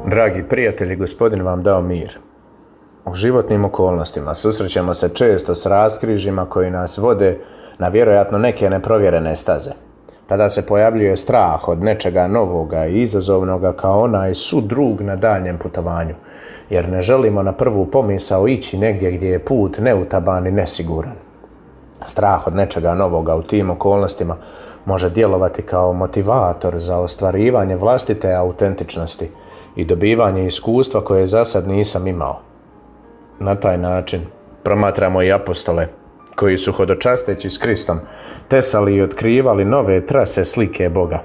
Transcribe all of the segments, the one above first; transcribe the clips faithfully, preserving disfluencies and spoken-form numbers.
Dragi prijatelji, Gospodin vam dao mir. U životnim okolnostima susrećemo se često s raskrižjima koji nas vode na vjerojatno neke neprovjerene staze. Tada se pojavljuje strah od nečega novoga i izazovnoga kao onaj sudrug na daljnjem putovanju, jer ne želimo na prvu pomisao ići negdje gdje je put neutaban i nesiguran. Strah od nečega novoga u tim okolnostima može djelovati kao motivator za ostvarivanje vlastite autentičnosti i dobivanje iskustva koje za sad nisam imao. Na taj način promatramo i apostole koji su hodočasteći s Kristom tesali i otkrivali nove trase slike Boga.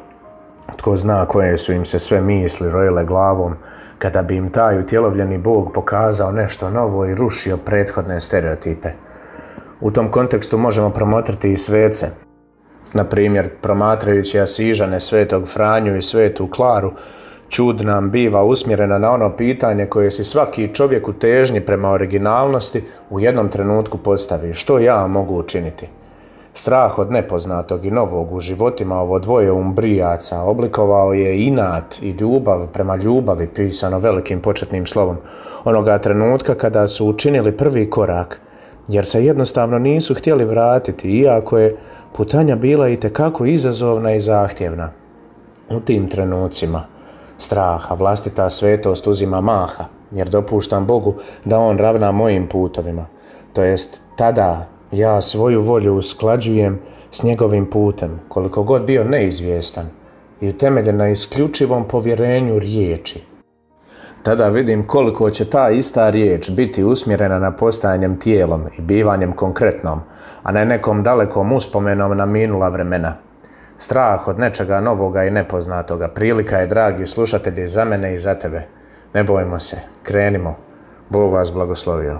Tko zna koje su im se sve misli rojile glavom kada bi im taj utjelovljeni Bog pokazao nešto novo i rušio prethodne stereotipe. U tom kontekstu možemo promotriti i svece. Na primjer, promatrajući Asižane, svetog Franju i svetu Klaru, čud nam biva usmjerena na ono pitanje koje si svaki čovjek u težnji prema originalnosti u jednom trenutku postavi: što ja mogu učiniti? Strah od nepoznatog i novog u životima ovo dvoje umbrijaca oblikovao je inat i ljubav prema ljubavi, pisano velikim početnim slovom, onoga trenutka kada su učinili prvi korak, jer se jednostavno nisu htjeli vratiti, iako je putanja bila itekako izazovna i zahtjevna. U tim trenucima straha vlastita svetost uzima maha, jer dopuštam Bogu da On ravna mojim putovima. To jest, tada ja svoju volju usklađujem s njegovim putem, koliko god bio neizvjestan i utemeljen na isključivom povjerenju riječi. Tada vidim koliko će ta ista riječ biti usmjerena na postajanjem tijelom i bivanjem konkretnom, a ne nekom dalekom uspomenom na minula vremena. Strah od nečega novoga i nepoznatoga prilika je, dragi slušatelji, za mene i za tebe. Ne bojmo se, krenimo. Bog vas blagoslovio.